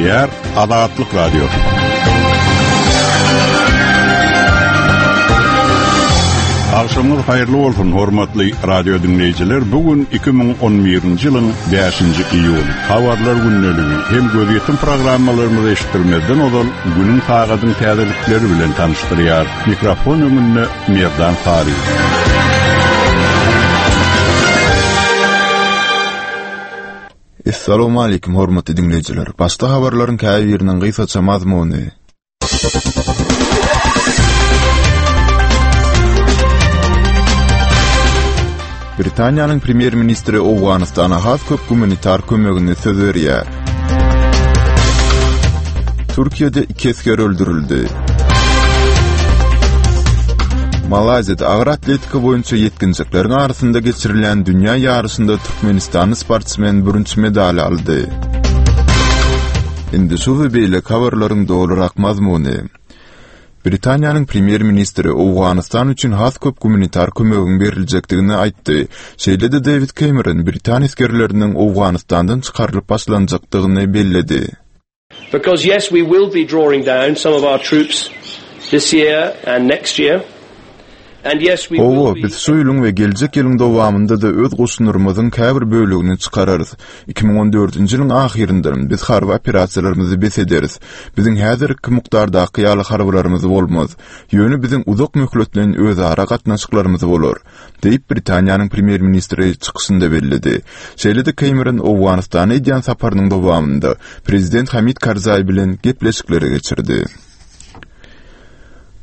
Gepleýär Azatlyk Radiosy. Agşamyňyz haýyrly bolsun, hormatly radio diňleýjiler. Bu gün 2011-nji ýylyň 5-nji iýuly. Habarlar gündeligi hem gözýetim programmalarymyzy eşitdirmezden ozal günüň sagadyň täzelikleri bilen tanyşdyrýar. Mikrofon öňünde Merdan Sary. Essalawmaleýkim hormatly diňleýjiler. Başda habarlaryň käbiriniň gysgaça mazmuny. Britaniýanyň premýer-ministri Owganystana has köp gumanitar kömegini söz berýär. Türkiýede iki esger öldürildi. Malaýziýada agyr atletika boýunça ýetginjekleriň arasynda geçirilýän dünýä ýaryşynda türkmenistanly sportsmen bürünç medaly aldy. Indi şu we beýleki habarlaryň dolurak mazmuny. Britaniýanyň premýer-ministri Owganystan üçin has köp gumanitar kömegiň beriljekdigini aýtdy. Şeýle-de Dewid Kemeron britan esgerleriniň Owganystandan çykarylyp başlanjakdygyny belledi. Because yes we will be drawing down some of our troops this year and next year. Hawa, biz şu ýylyň we geljek ýylyň dowamynda-da öz goşunlarymyzyň käbir bölegini çykararys. 2014-nji ýylyň ahyrynda biz harby operasiýalarymyzy bes ederis. Biziň häzirki mukdardaky ýaly harbylarymyz bolmaz. Ýöne biziň uzak möhletleýin özara gatnaşyklarymyz bolar, diýip, Britaniýanyň premýer-ministri çykyşynda belledi. Şeýle-de Kemeron Owganystana edýän saparynyň dowamynda prezident Hamid Karzaý bilen gepleşikleri geçirdi.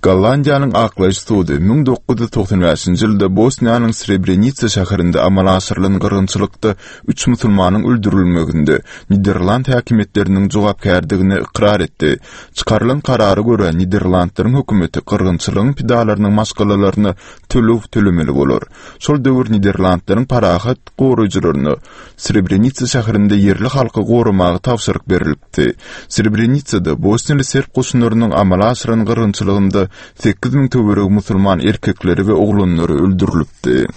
Gollandiýanyň aklaýyş sudy 1995-nji ýylda Bosniýanyň Srebrenitsa şäherinde amala aşyrylan gyrgynçylykda üç musulmanyň öldürilmeginde niderland häkimiýetleriniň jogapkärdigini ykrar etdi. Çykarylan karara görä, Niderlandlaryň hökümeti gyrgynçylygyň pidalarynyň maşgalalaryna töleg tölemeli bolar. Şol döwür Niderlandlaryň parahat goraýjylaryna Srebrenitsa şäherinde ýerli halky goramaga tabşyryk berilipdi. Srebrenitsada bosniýaly serb goşunlarynyň amala aşyran gyrgynçylygynda 8000 töweregi musulman erkekleri we oglanlary öldürilipdi.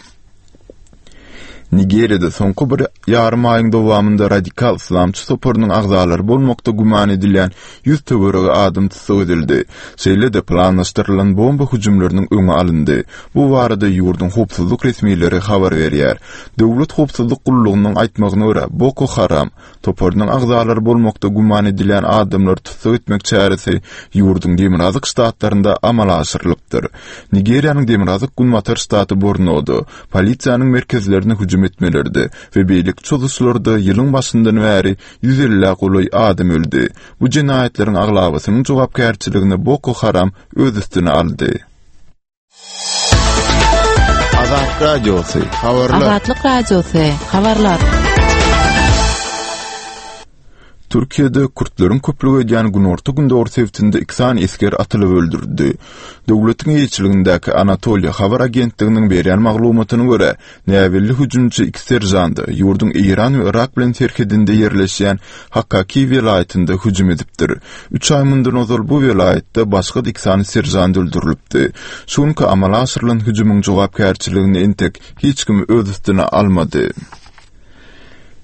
Nigeriýada soňky bir ýarym aýyň dowamynda radikal yslamçy toparynyň agzalary bolmakda güman edilýän 100 töweregi adam tussag edildi. Şeýle-de planlaşdyrylan bomba hüjümleriniň öňi alyndy. Bu barada ýurduň howpsuzlyk resmileri habar berýär. Döwlet howpsuzlyk gullugynyň aýtmagyna görä, Boko Haram toparynyň agzalary bolmakda güman edilýän adamlary tussag etmek çäresi ýurduň demirgazyk ştatlarynda amala aşyrylypdyr. Nigeriýanyň demirgazyk-günbatar ştaty Bornoda polisiýanyň merkezlerine hüjüm etmelerde we beýleki çozuşlarda ýylyň başyndan bäri 150-ä golaý adam öldi. Bu jenaýatlaryň aglabasynyň jogapkärçiligini Boko Haram öz üstüne aldy. Azat Radiosy, habarlar. Azatlyk Radiosy, habarlar. Türkiýede kürtleriň köplük edýän günorta-gündogar sebitinde iki sany esger atylyp öldürildi. Döwletiň eýeçiligindäki Anatoliýa habar agentliginiň berýän maglumatyna görä, Näbelli hüjümçi iki seržanda ýurduň Eýran we Yrak bilen serhedinde ýerleşýän Hakaki welaýatynda hüjüm edipdir. Üç aý mundan ozal bu welaýatda başga-da iki sany seržant öldürilipdi. Şu günki amala aşyrylan hüjümiň jogapkärçiligini entek hiç kim öz üstüne almady.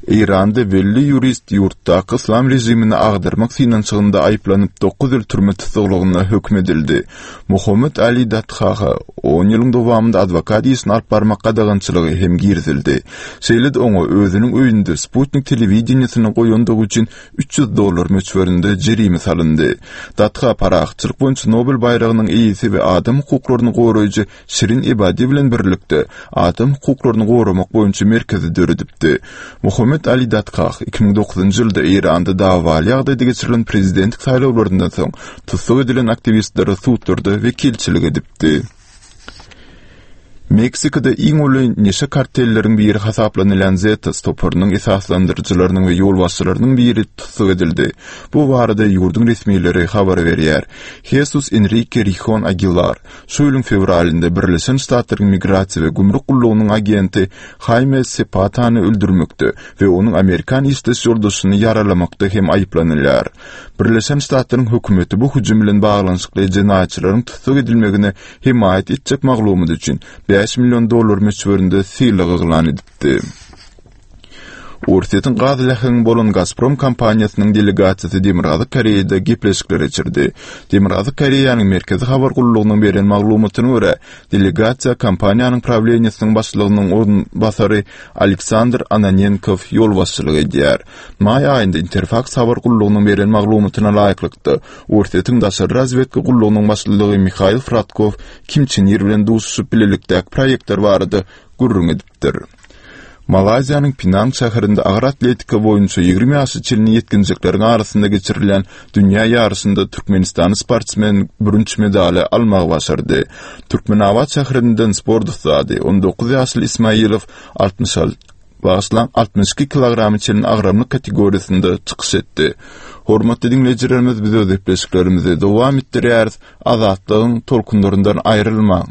Eýranda belli ýurist ýurtdaky yslam režimini agdarmak synanyşygynda aýyplanyp, dokuz ýyl türme tussaglygyna höküm edildi. Mohammed Ali Dadhaha on ýylyň dowamynda adwokat işini alyp barmak gadagançylygy hem girizildi. Şeýle-de oňa özüniň öýünde sputnik telewideniýesini goýandygy üçin 300 dollar möçberinde jerime salyndy. Dadha parahatçylyk boýunça Nobel baýragynyň eýesi we adam hukuklaryny goraýjy Şirin Ebadi bilen birlikde adam hukuklaryny goramak boýunça merkezi döredipdi. Mohammed Ali Dadkah 2009-njy ýylda Eýranda dawaly ýagdaýda geçirilen prezidentlik saýlawlaryndan soň tussag edilen aktiwistlere sudlarda wekilçilik edipdi. Meksikada iň uly neşe kartelleriň biri hasaplanylýan Zetas toparynyň esaslandyryjylarynyň we ýolbaşçylarynyň biri tussag edildi. Bu barada ýurduň resmileri habar berýär. Jesus Enrike Rihon Agilar Şu ýylyň fewralynda Birleşen Ştatlaryň Migrasiýa we gümrük gullugynyň agenti Haýme Sepatany öldürmekde we onuň amerikan işdeş ýoldaşyny ýaralamakda hem aýyplanylýar. Birleşen Ştatlaryň hökümeti bu hüjüm bilen baglanyşykly jenaýatçylaryň tussag edilmegine hemaýat etjek maglumat üçin 5 million dollar möçberinde sylag yglan edipdi. Orsýetiň gaz läheňi bolan Gazprom kompaniýasynyň delegasiýasy Demirgazyk Koreýada gepleşikler geçirdi. Demirgazyk Koreýanyň Merkezi habar gullugynyň beren maglumatyna görä, delegasiýa kompaniýanyň prawleniýesiniň başlygynyň orunbasary Aleksandr Ananenkow ýolbaşçylyk edýär. Maý aýynda Interfaks habar gullugynyň beren maglumatyna laýyklykda, Orsýetiň daşary razwedka gullugynyň başlygy Mihail Fradkow Kim Çen Ir bilen duşuşyp bilelikdäki proýektler barada gürrüň edipdir. Malaýziýanyň Pinang şäherinde agyr atletika boýunça 20 ýaşa çenli ýetginjekleriň arasynda geçirilýän dünýä ýaryşynda türkmenistanly sportsmen bürünç medaly almagy başardy. Türkmenabat şäherinden sport ussady, 19 ýaşly Ismailow 66 bagyşlaň, 62 kilograma çenli agramlyk kategoriýasynda çykyş etdi. Hormatly diňleýjilerimiz, biz öz gepleşiklerimizi dowam etdirýäris. Azatlygyň tolkunlaryndan aýrylmaň!